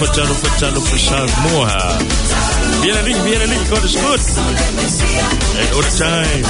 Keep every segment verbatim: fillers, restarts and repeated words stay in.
Talofa, talofa, talofa, Samoa. Viene lì, viene lì, God is good. And all the time.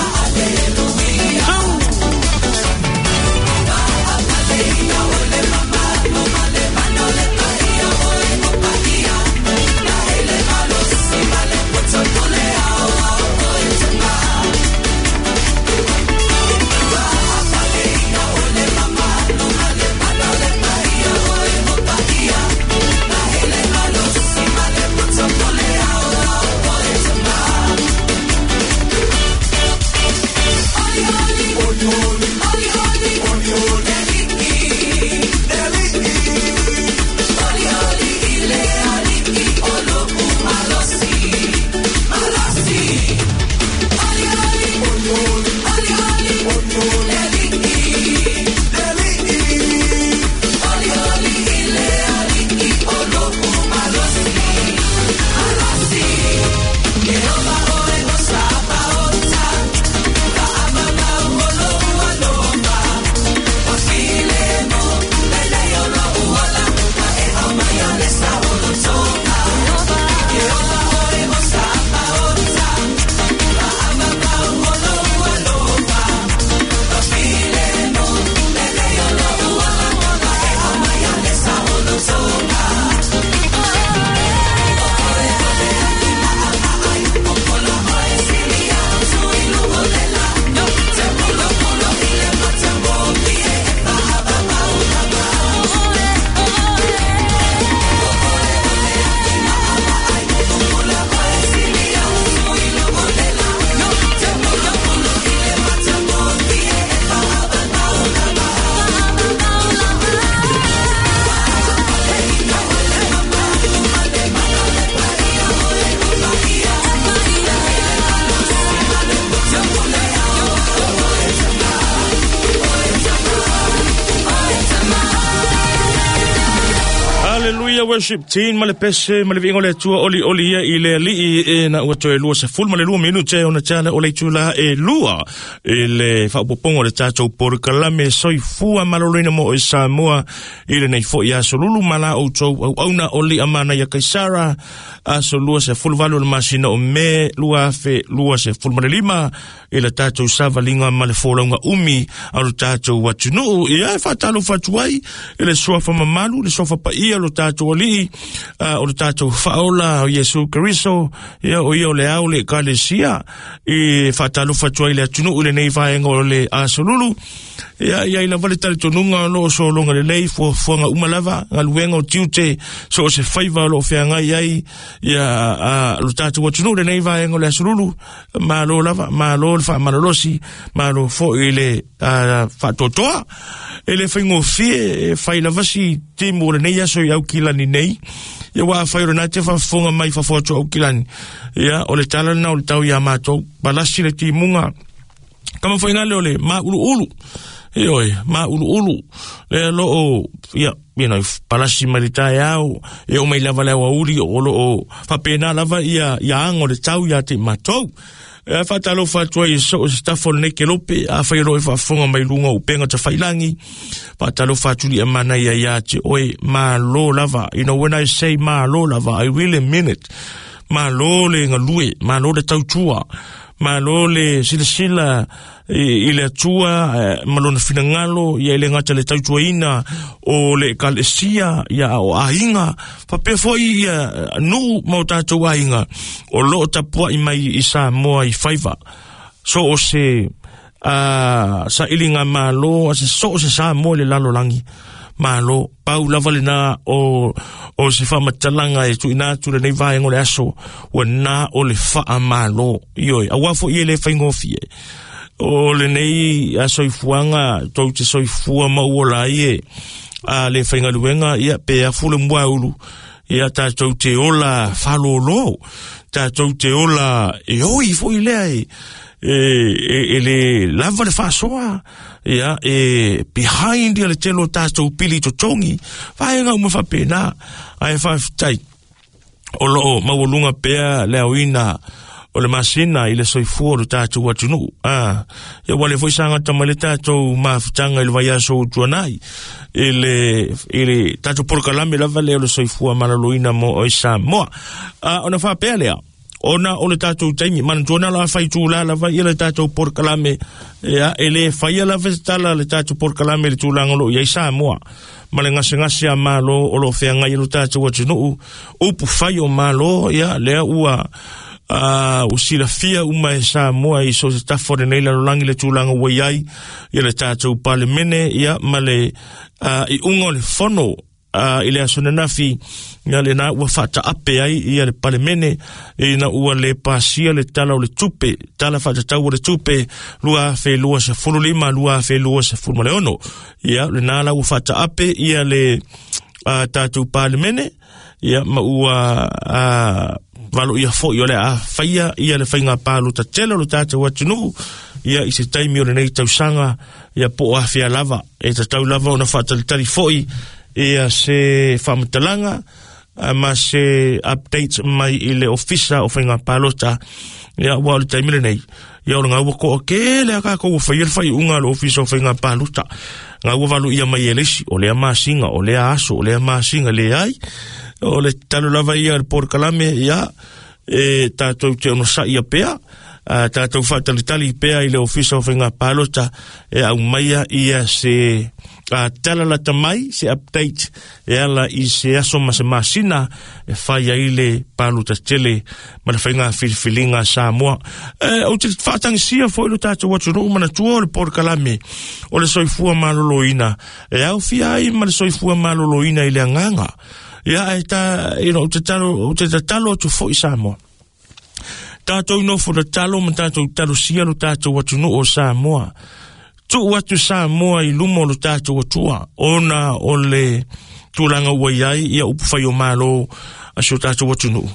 Worship team ma le pese ma le viingo le atua oli oli ia i le alii e na ua toe lua se fulu ma le lua minute ona tala o le itula e lua i le faapopoga o le tatou polokalame soifua maloloina mo i Samoa i lenei fo'i aso lulu ma la outou auauna o li'amana ia Kaisara aso lua se fulu valu o le masina o Me lua afe lua se fulu ma le lima i le tatou savaliga ma le folauga umi a lo tatou atunuu ia e faatalofa atu ai i le suafa mamalu le suafa paia o lo tatou alii o le tatou faaola o Iesu Keriso ia o ia o le ao le ekalesia i faatalofa atu ai le atunuu i lenei vaega o le aso lulu ia ia i lava le talitonuga o loo sologa lelei fuafuaga uma lava galuega o tiute so o se faiva o loo feagai ai ia a lo tatou atunuu lenei vaega o le aso lulu malo lava malo le faamalolosi malo fo'i le faatoatoa e le faigofie e fai lava si timu o lenei aso i Aukilani nei ia ua afai o lena te faafofoga mai fafo atu Aukilani ia o le tala lena o le tau iā matou palasi le timuga kama faigale o le mauluulu ioe mauluulu lea loo ia you know palasi mai le taeao e oo mai lava le aoauli o loo faapena lava ia ia ago le tau iā te matou e faatalofa atu ai so o se tafa o lenei kelope afai o loo e faafofoga mai luga o upega tafailangi faatalofa atu li'amana ia iā te oe malo lava. You know, when I say malo lava, I really mean it. Malo le galue, malo le tautua, malo le silasila i le atua ma lona finagalo ia i le gata le tautuaina o le ekalesia ia o aiga faapea fo'i ia nuu ma o tatou aiga o loo tapua'i mai i Samoa i faiva so o se uh, sailiga malo a se so o se Samoa i le lalolagi malo pau lava lena o o se faamatalaga e tuuina atu lenei vaega o le aso ua na o le faamalo ioe auā fo'i e le faigofie o lenei a soifuaga tou te soifua ma ua ola ai e a le faigaluega ia pe afu le muaulu ia tatou te ola faalōlō tatou te ola e oi fo'i lea e e e le lava le faasoa ia e behind ia le tele o tatou pili totogi vaega uma faapena ae faafetai o loo maualuga pea le aoina o le masina i le soifua o le tatou atunuu. Ah, ia ua le foi sagata mai le tatou mafutaga i le vaiaso ua tuanai i le, i le tatou polokalame lava lea o le soifua maloloina mo oe Samoa. Ah, ona faapea lea, ona o le tatou taimi, manatua na o le a faitulā lava ia le tatou polokalame, ia, e lē faia lava se tala le tatou polokalame i le tulaga o loo i ai Samoa ma le gasegase a Malo o loo feagai ai lo tatou atunuu, upu fai o Malo, ia, lea ua Uh, ua silafia uma e Samoa i so se tafa o lenei lalolagi le tulaga ua i ai ia le tatou Palemene, ia, ma le uh, iuga o le fono uh, i le aso ananafi, ia lena ua faataape ai ia le Palemene ina ua le pasia le tala o le tupe, tala faatatau o le tupe lua afe lua sefulu lima lua afe lua sefulu ma le ono. Ia lena la ua faataape ia le uh, tatou Palemene, ia ma ua uh, valo ia foi o le a faia ia le faiga palota tele o le tatou atunuu ia i se taimi o lenei tausaga, ia po o afea lava e tatau lava ona faatalitali foi ia se faamatalaga ma se update mai i le ofisa o faiga palota. Ia ua o le taimi lenei, ia o le gaua toatele a tatou ua faia le faaiuga a le ofisa o faiga palota, gaua valo ia mai e le isi o lea masina, o lea aso, o lea masina, leai o le tatalo lava ia le polokalame, ia e tatou te onosaʻi pea, a tatou faatalitali pea i le ofisa o faiga palota e aumaia ia se a tala lata mai, se update e ala i se aso ma se masina e fai ai le palota tele ma le faiga filifiliga a Samoa. E, ou te faatagisia foi lo tatou atunuu, manatua o le polokalame o le soifua maloloina e aofia ai ma le soifua maloloina i le agaga. Ia e ta, you know, te talo, te tatalo atu foi Samoa. Tatou nofo tatalo ma tatou talosia lo tatou atunuu o Samoa. Tuu atu Samoa i luma o lo tatou Atua, ona o le tulaga ua i ai ia upu fai o Malo a si o tatou atunuu.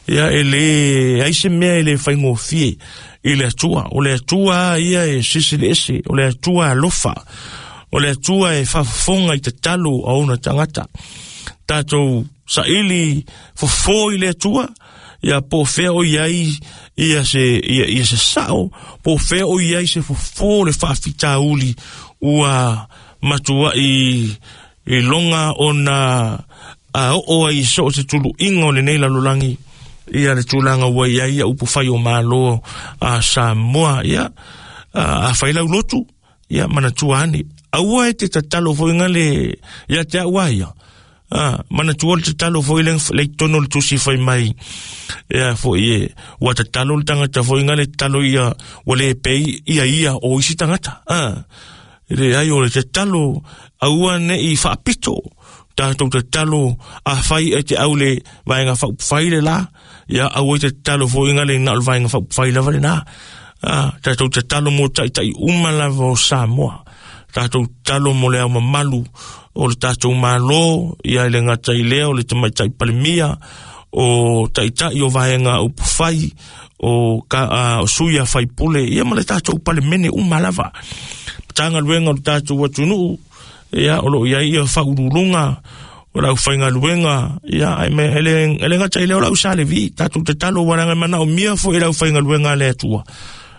Ia e le ai se mea e le faigofie i le Atua. O le Atua ia e sisili ese, o le Atua alofa, o le Atua e faafofoga i tatalo a ona tagata. Tatou saili fofo i le Atua, ia po fea o iai ia se, ia, ia se sao, po fea o iai se fofo le faafitauli ua matuai i longa ona a oo ai so o se tuluiga o lenei lalolagi ia le tulaga ua i ai ia upu fai o Malo a Samoa. Ia a, a fai lau lotu, ia manatua ane aua e te tatalo foi ngale ia te au ia. Ah, manatua le tatalo foi le le tonu le tusi fai mai ia foi e ua tatalo le tagata foi ngale tatalo ia ua le pei ia ia o isi tagata. Ah, le ai o le tatalo aua nei faapito tatou tatalo a fai e te au le vaega faaupufai le la, ia aua e te tatalo foi ngale na o le vaega faaupufai lava lena. Ah, tatou tatalo mo taitai uma lava o Samoa, tatou tatalo mo le ao mamalu o le tatou Malo, ia i le gata i lea o le tamaitai Palemia, o taitai o vaega upufai, o, ka, a, o sui a faipule, ia ma le tatou Palemene uma lava. Matagaluega o le tatou atunuu, ia o loo i ai ia faaululuga o lau faigaluega, ia ai me ele ele gata i lea o lau salevi, tatou tatalo ua laga manaomia foi i lau faigaluega a le Atua.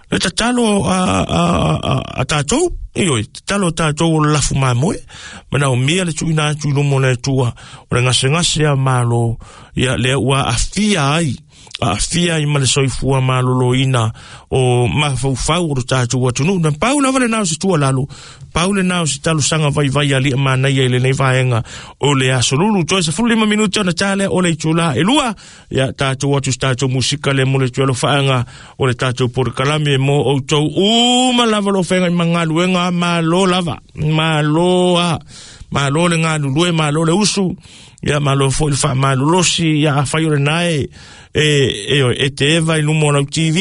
Le tatalo a, a, a, a tatou, ioe, tatalo tatou o le lafu mamoe, manaomia le tuuina atu i luma o le Atua, o le gasegase a Malo, ia lea ua aafia ai, aafia ai ma le soifua maloloina o mafaufau o lo tatou atunuu. Na pau lava lenā o se tuualalo, pau lenā o se talosaga vaivai a alii manaia i lenei vaega o le aso lulu. Toe sefulu lima minute ona ta lea o le itulā e lua, ia tatou atu se tatou musika le mo le tualofaaga o le tatou polokalame mo outou uma lava lo feagai ma galuega. Malo lava, malo a, malo le galulue, malo le usu, ia malo foi le faamalolosi, ia afai o lenā e e e e te eva i luma o lau T V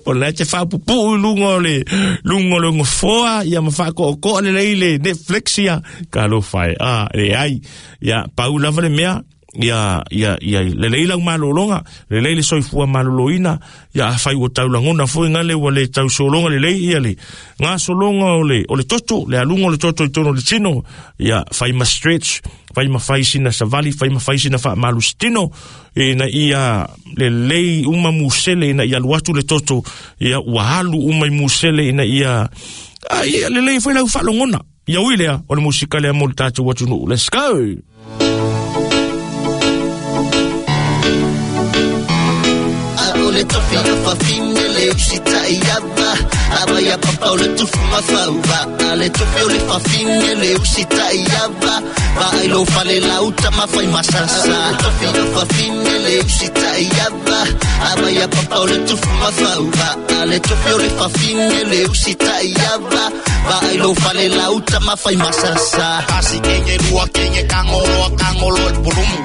po le te faapupuu i luga o le luga o le gafoa, ia ma faakookoa lelei le Netflix ia talofa e a leai, ia pau lava le mea Ia ia ia lelei lau malologa lelei le soifua maloloina ia afai ua taulagona foi gale ua le tausologa lelei ia le gasologa o le o le toto le aluga o le toto i tonu o le tino ia fai ma stretch fai ma fai sina savali fai ma fai sina faamalositino ina ia lelei uma musele ina ia alu atu le toto ia ua alu uma i musele ina ia ia lelei foi lau faalogona ia ui lea o le musika lea mo le tatou atunuu. Let's go. Le tofi o fafine le usitai ava ava ia papa o le tufu mafauva le tofi o le fafine le usitai ava vaai lo fale lauta mafai masasa le tofi o fafine le usitai ava ava ia papa o le tufu mafauva le tofi o le fafine le usitai ava vaai lo fale lauta mafai masasa kasi kenge lua kenge kangolo kangolo el pulumu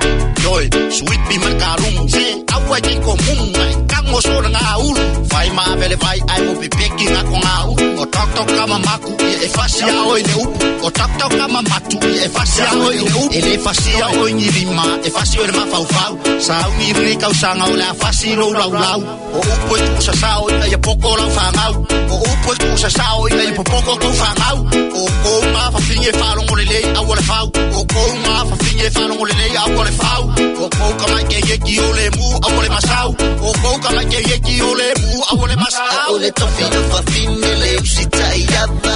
yoi sweet bi makarumu se awa ke komumu kango sora ngā ulu Whai mā vele vai ai mo pipeki ngā ko ngā ulu O tok tok kama maku ia e fasi a oi le upu O tok tok kama matu ia e fasi a oi le upu E le fasi a oi ni rima e fasi oi le mawhau Sa au ni rine kausanga o le a fasi ro lau lau O upu e tuusa sao ina ia poko lau whangau O upu e tuusa sao ina ia popoko kou whangau O kou ngā whawhinge whalongo le lei au o le whau O kou ngā whawhinge whalongo le lei au o le whau O kou kamai ke yeki o le mu au o le masau O kou kamai ke yeki o le mu au o le masau O le tofi o fafine le usitai ava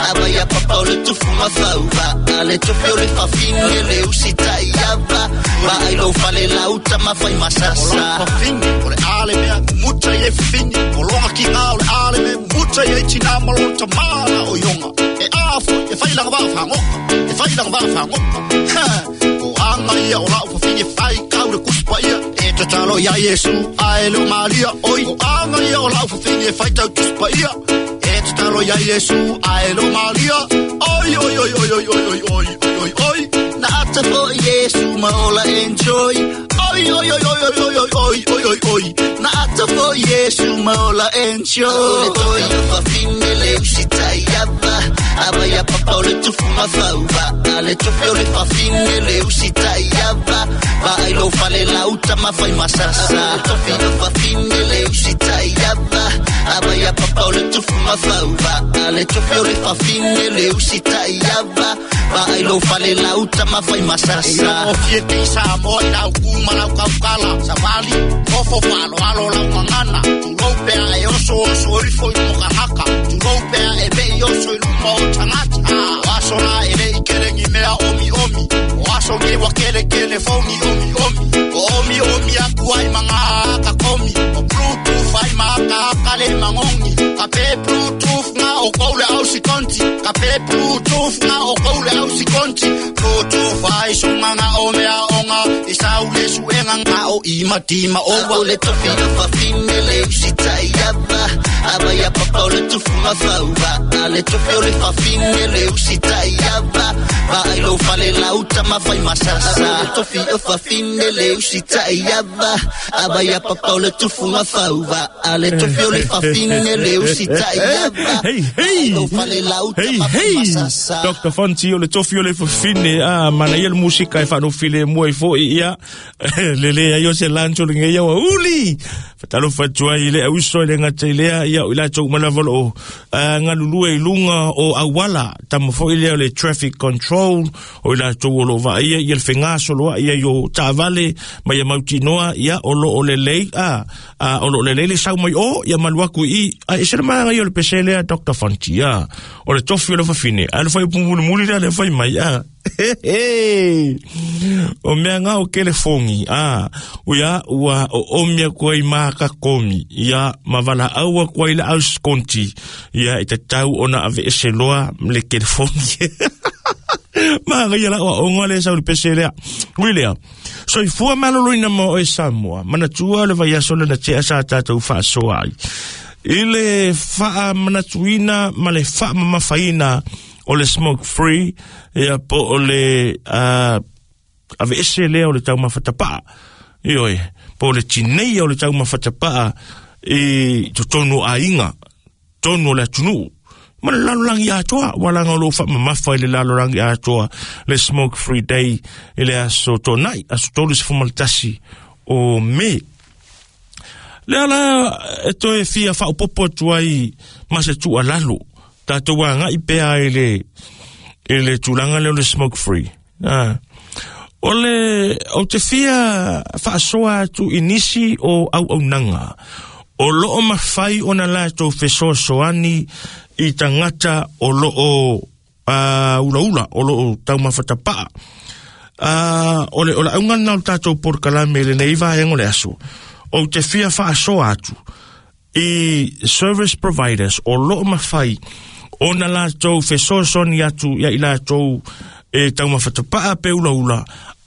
ava ia papa o le tufu mafauva le tofi o le fafine le usitai ava vaai lo fale lauta mafai masasa O fafine o le ale mea muta i e fafine o longa ki ngā o le ale mea muta i e tina malonta mana o ionga e afo e whailanga waa whangoka e whailanga waa whangoka o anga ia o lau fafine whai kau le kuspa ia e tatalo ia Yesu ae leo Maria oi o anga ia o lau fafine whai tau kuspa ia e tatalo ia Yesu ae leo Maria oi oi oi oi oi oi oi oi oi na ata fo Yesu maola enjoy oi oi oi oi oi oi oi oi oi oi na ata fo Yesu maola enjoy le tofi o fafine le usitai ava ava ia papa o le tufu mafauva le tofi o le fafine le usitai ava vaai lo fale lauta mafai masasa le tofi o fafine le usitai ava ava ia papa o le tufu mafauva le tofi o le fafine le usitai ava vaai lo fale lauta mafai masasa o fie te Samoa i lau kuma lau kaukala savali fofo falo alo lau mangana tulou pea e oso oso ifo i mokahaka tulou pea e vei oso i luma o tangata o aso la e lei kerengi mea omi omi o aso ke wa kele kele fongi omi omi o omi omi aku ai manga ka komi o bluetooth ai maka kale mangongi ka pe bluetooth nga o koule au sikonti ka pe bluetooth nga o koule au sikonti bluetooth ai sunga nga o mea onga i saule suenga nga o ima tima o o le tofi o fafine le usitai ava ava ia papa o le tufu mafauva le tofi o le fafine le usitai ava vaai lo fale lauta mafai masasa le tofi o fafine le usitai ava ava ia papa o le tufu mafauva le tofi o le fafine le usitai ava hey hey lo fale lauta hey mafai hey masasa Doctor Fonti o le tofi o le fafine a mana ia le musika e whanofile mua i fo i ia lele ai o se lancho le ngeia wa uli fatalo fatua i le auso i le ngata i lea ia o ila tau malavalo o ngalulue i lunga o awala tama fo i lea o le traffic control o ila tau o lo va ia ia le whengaso loa ia yo tavale ma ia mautinoa ia o lo o le lei a o lo le lei le sau mai o ia maluaku i a e sele maanga ia o le pese lea Doctor Fonti a o le tofi o le fafine a le whai pumulu muli lea le whai mai a o mea ngā o kele fongi a uia ua o omia kua i maaka komi ia mavala aua kua i la au skonti ia i te tau ona ave ese loa le kele fongi maanga ia la oa ongoa le sau le pese lea ui lea soifua maloloina mo oe Samoa manatua le vaiaso le na tea sa tātou faasoa ai i le faamanatuina ma le faamamafaina o le smoke free ia po o le uh, ave ese lea o le taumafatapaa ioe po o le tineia o le taumafatapaa i totonu aiga tonu o le atunuu Ma le lalolagi atoa, ua laga o loo faamamafa i le lalolagi atoa le Smoke Free Day i le aso Tonaʻi, aso tolu sefulu ma le tasi o Me. Lea la e toe fia faaopopo atu ai ma se tuualalo, tatou agaʻi pea i le i le tulaga lea o le smoke free. Ah. O le o te fia faasoa atu i nisi o auaunaga o loo mafai ona latou fesoasoani i tagata o loo uh, ulaula, o loo taumafa tapaa. Uh, o le o le auga lena o le tatou polokalame i lenei vaega o le aso. Ou te fia faasoa atu i service providers o loo mafai ona latou fesoasoani atu ia i latou e taumafa tapaa pe ulaula,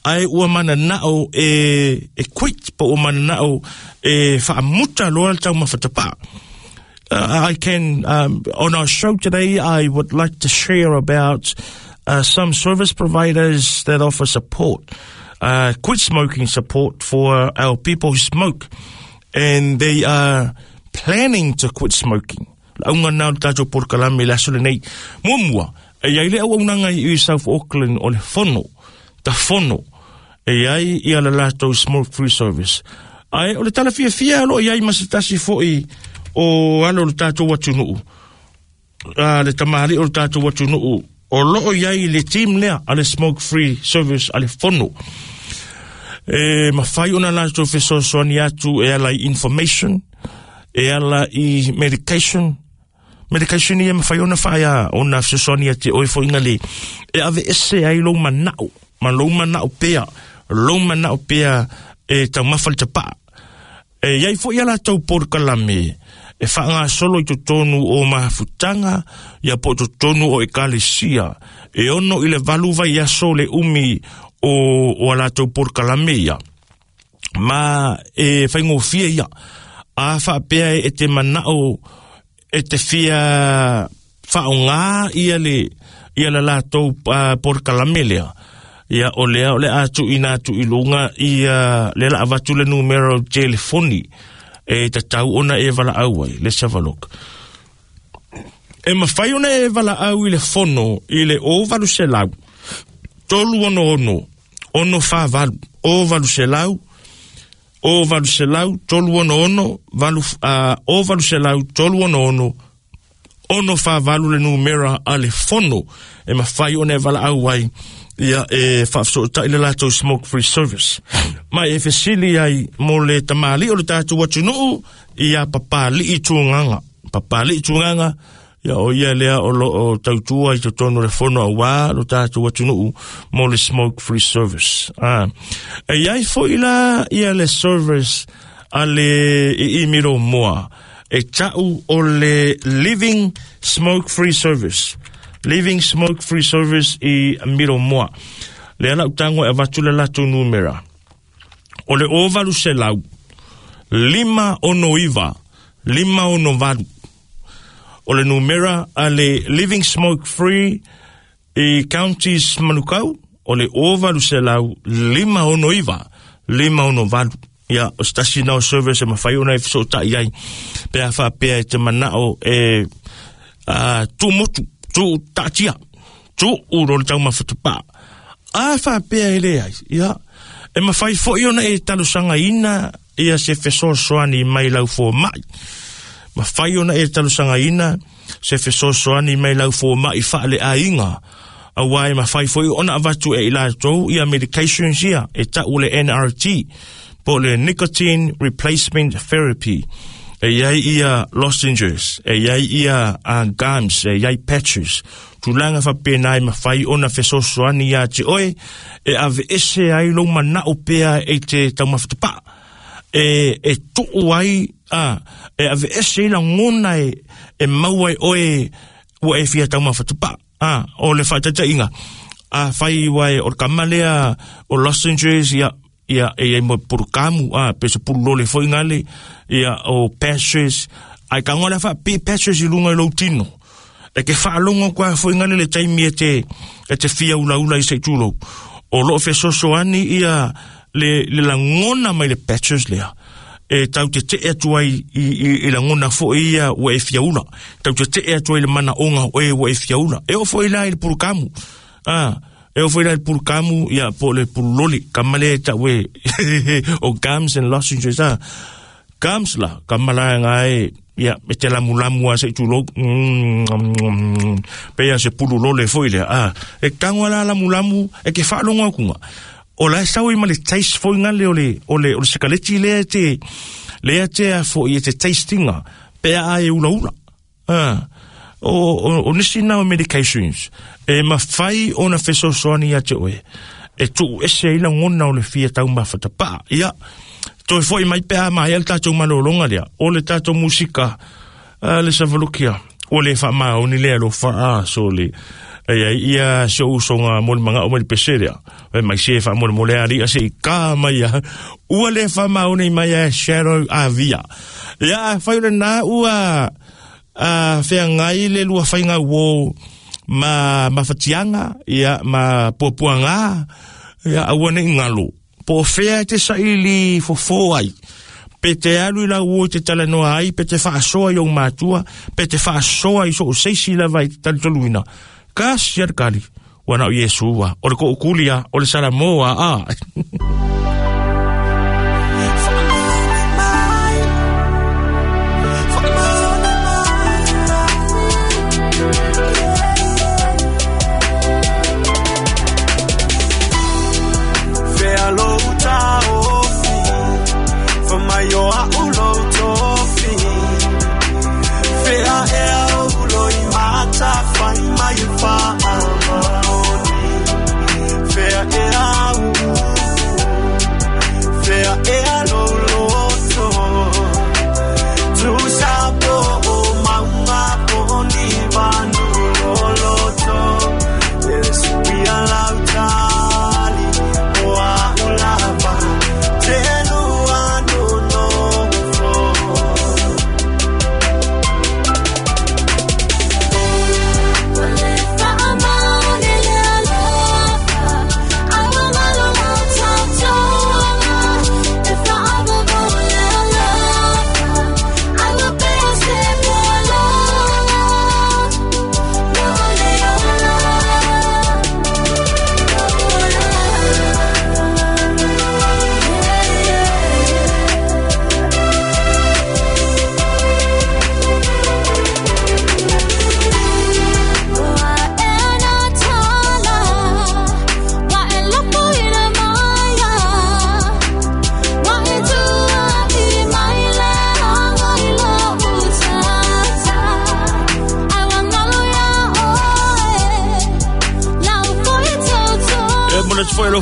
ae ua mananao e, e quit po ua mananao e faamuta loa le taumafa tapaa. Uh, I can, um, on our show today, I would like to share about uh, some service providers that offer support, uh, quit smoking support for our people who smoke, and they are planning to quit smoking. Auga na o le tatou polokalame le aso lenei. Muamua, e iai le auaunaga i South Auckland o le Fono, ta Fono, e iai ia le latou smoke free service. Ae o le tala fiafia lo iai ma se tasi foʻi o alo o le tatou atunuu. A, le tamaliʻi o le tatou atunuu o loo iai le team lea a le smoke free service a le Fono. E mafai ona latou fesoasoani atu e ala i information, e ala i medication. Medication ia mafai ona faia ona fesoasoani ate oe foʻiga le e aveese ai lou manao, ma lou manao pea, lou manao pea e taumafa le tapaa. E iai foʻi a latou polokalame e faagasolo i totonu o mafutaga ia po o totonu o ekalesia e ono i le valu vaiaso le umi o, o a latou polokalame ia. Ma e faigofie ia. A faapea e te manao e te fia faaogā ia le ia le latou uh, polokalame lea. Ia o lea o le a tuuina atu i luga ia le la avatu le numero telefoni e tatau ona e valaau ai. Let's have a look. E mafai ona e valaau i le Fono i le o valu selau tolu ono ono ono fa valu, o valu selau o valu selau tolu ono ono valu, uh, o valu selau tolu ono ono ono fa valu le numera a le Fono e mafai ona e valaau ai ia e faafesootai le latou smoke free service. Ma e fesili ai mo le tamaliʻi o le tatou atunuu ia Papaliʻi Tugaga. Papaliʻi Tugaga, ia o ia lea o loo tautua i totonu le Fono auā lo tatou atunuu mo le smoke free service. Ah. E iai foʻi la ia le service a le i Miro Moa e ta'u o le Living Smoke Free Service. Living Smoke Free Service i Miromoa. Le ala utango e avatu le latou numera. O le o valu selau, lima ono iva, lima ono valu. O le numera a le Living Smoke Free i Counties Manukau, o le o valu selau, lima ono iva, lima ono valu. Ia, o se tasi na o service e mafai ona e fesootai ai. Pe a faapea e te manao e uh, tuumotu, tu taatia, tu uro le taumafa tapaa. A faapea e le ai, ia, e mafai foʻi ona e talosagaina ia se fesoasoani mai lau fomai. Mafai ona e talosagaina se fesoasoani mai lau fomai faaleaiga. Auā e mafai foʻi ona avatu e i latou ia medications ia e ta'u le N R T po le nicotine replacement therapy. E iai ia lozenges, e iai ia uh, gums, e iai patches. Tulaga faapena e mafai ona fesoasoani ia te oe e aveese ai lou manao pea e te taumafa tapaa. E, e tuu ai, a, e aveese i lagona e, e maua e oe ua e fia taumafa tapaa. A, o le faataitaiga. A fai uae o le kama lea o lozenges ia ia e ia mo purukamu a pe se pulu lole foi ngale ia o patches ai ka ngola fa pi patches i lunga i lou tino e ke faalogo koa foi ngale le taimi e te e te fia ula ula i se tulo o loo fesoasoani ia le le lagona mai le patches lea. E tau te te atu ai i, i, i lagona foʻi ia ua e fiaula. Tau te te atu ai le manaʻoga o e ua e fiaula. E oo foʻi la i le pulukamu. Ah, e oo foʻi la i le pulukamu, ia po le pululoli. Kama le ta'u e o gums and lozenges a. Gums la, kama la e ia, e te lamulamu a se i tulou. Mm, mm, pe ia se pululole foʻi lea. Ah, e tago la lamulamu, e ke faalogo akuga. O la e sau ai ma le taste foʻi gale o le, o le, o le sikaleti lea e te, lea te a foʻi e te tastinga, pe a e ulaula. Ah, o, o, o nisi na o medications, e mafai ona fesoasoani ia te oe, e tuu ese ai lagona o le fia taumafatapaa. Ia, toe foʻi mai pe a maea le tatou malōloga lea, o le tatou musika, a le savalukia, ua le faamaoni lea alofa a so le, ai ia se usoga mo le magao mai le pese lea. E mai se faamolemole a se i ka mai ia. Ua le faamaoni mai a shadow avia. Ia, fai o lenā ua a, feagai le lua faiga uō ma, ma fatiaga, ia, ma puapuagā, ia, aua neʻi galo. Po o fea e te saili fofō ai. Pe te alu i lau uō i te talanoa ai, pe te faasoa i ou matua, pe te faasoa i soo seisi lava i te talitoluina. Kasi le kali, ua na o Iesu a, o le koʻokuli a, o le Salamoa a.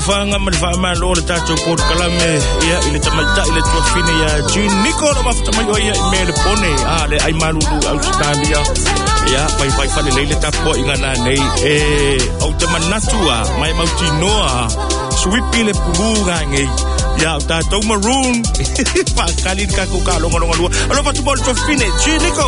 Fanga ma le faamalo le tatou polokalame ia i le tamaitaʻi le tuafine ia Jinico lo mafuta mai o ia i mea le pone a le ai malulu Australia ia faifai falelei le tapuaʻiga nanei e ou te manatu a mai mautinoa suipi le pulū gagei ia o tatou maroon faakali le kakou kalogaloga lua alofa atu mo le tuafine Jinico.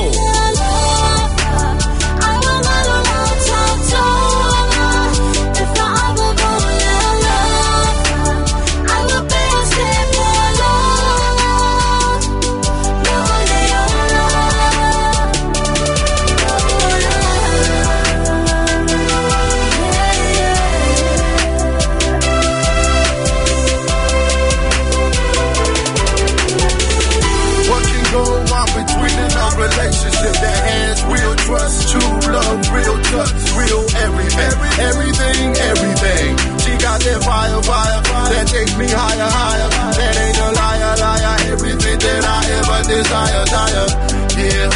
Relationship that has real trust, true love, real touch, real everything, everything, everything. She got that fire, fire, that takes me higher, higher. That ain't a liar, liar. Everything that I ever desire, desire. Yeah,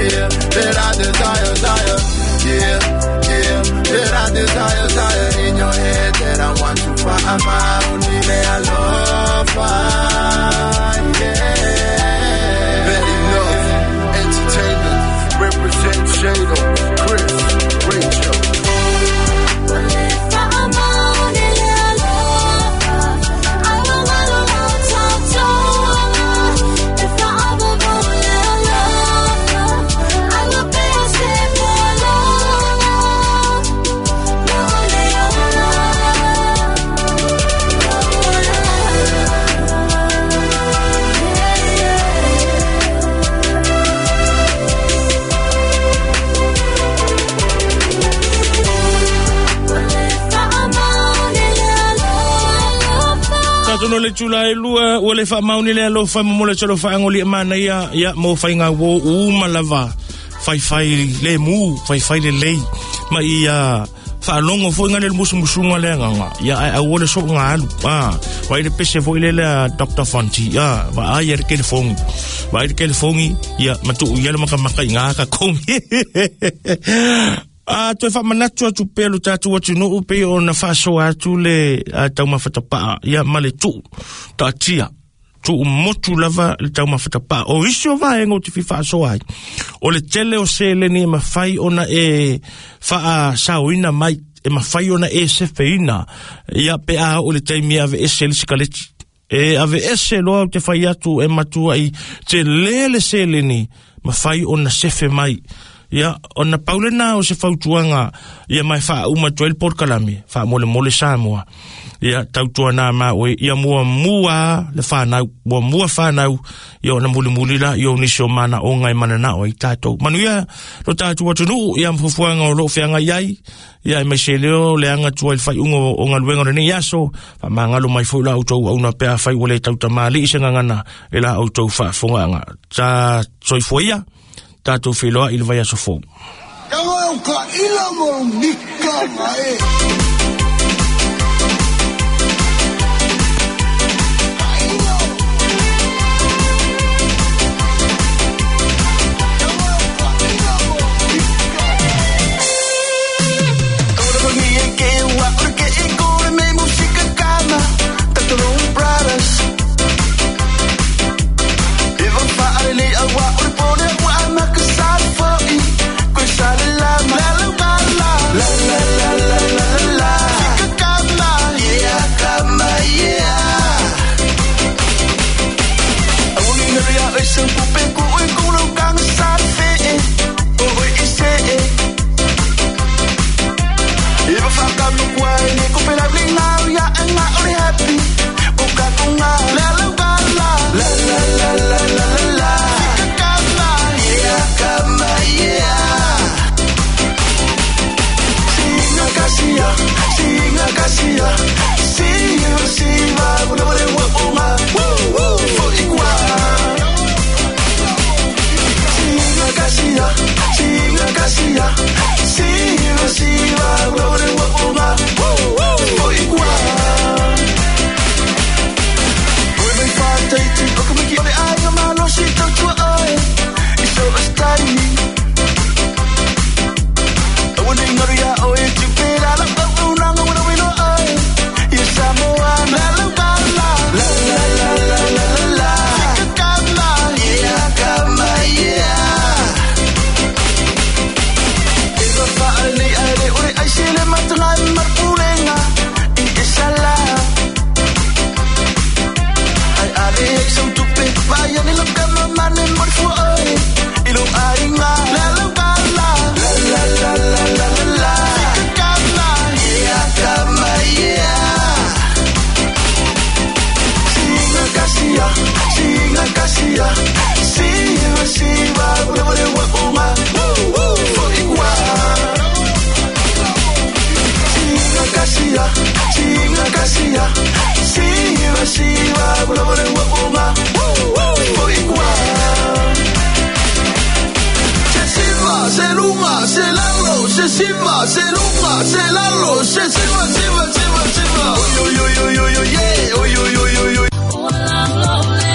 yeah, that I desire, desire. Yeah, yeah, that I desire, desire. In your head that I want to find my only I love, find, yeah. Represent Shado, Chris, Rachel. I le tula e lua ua le faamaoni le alofa mo le talo faangoli mana ia ia mo fainga wo uma lava fai fai le mu fai fai le lei ma ia faalogo foi ngale musumusuga le agaga ia ae aua le soo galu a vai le pese foi le lea Doctor Fonti a vaai ia le kelefogi vaai le kelefogi ia matuu ia le makamaka i gā kakogi a toe faamanatu atu pea lo tatou atunuu pei ona faasoa atu le taumafatapaa ia ma le tuu taatia tuu motu lava le taumafatapaa o isi o vaega o te fifaasoa ai o le tele o seleni e mafai ona e faasaoina mai e mafai ona e sefeina ia pe a o le taimi ave ese le sikaleti e ave ese loa o te fai atu e matua i te lele seleni mafai ona sefe mai ia ona paulena o se fautuaga ia mai faauma atu ai le polokalame faamolemole Samoa ia tautuana ma oe ia muamua le fanau muamua fanau ia ona mulimuli la ia o nisi o manaoga e mananao ai tatou manuia lo tatou atunuu ia mafuafuaga o loo feagai ai ia e maise leo le aga tua i le faiuga o galuega o lenei aso faamagalo mai foi la outou auna pe afai ua le tautamalii se gagana e la outou faafogaaga ta soifua ia tatou feloa i le vaiaso fou. La la la la la la Se lunga, se lalo, se siva, siva, siva, siva. Oi, oi, oi, oi, oi, yeah. Oi, oi, oi, oi, oi.